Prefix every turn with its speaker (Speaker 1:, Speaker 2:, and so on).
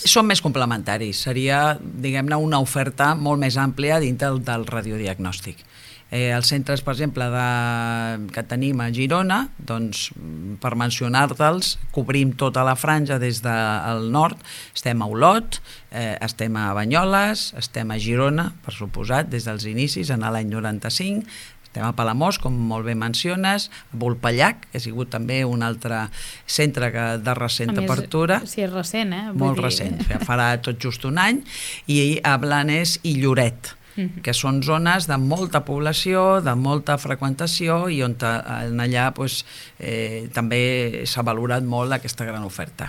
Speaker 1: Són més complementaris, seria, diguem-ne, una oferta molt més àmplia dintre del radiodiagnòstic. Els centres, per exemple, que tenim a Girona, doncs, per mencionar-te'ls, cobrim tota la franja des del nord, estem a Olot, estem a Banyoles, estem a Girona, per suposat, des dels inicis, en l'any 95, estem a Palamós, com molt bé menciones, a Vulpellac, que ha sigut també un altre centre de recent apertura.
Speaker 2: Sí, és recent,
Speaker 1: Molt recent, farà tot just un any, i a Blanes i Lloret, que són zones de molta població, de molta freqüentació i on allà també s'ha valorat molt aquesta gran oferta.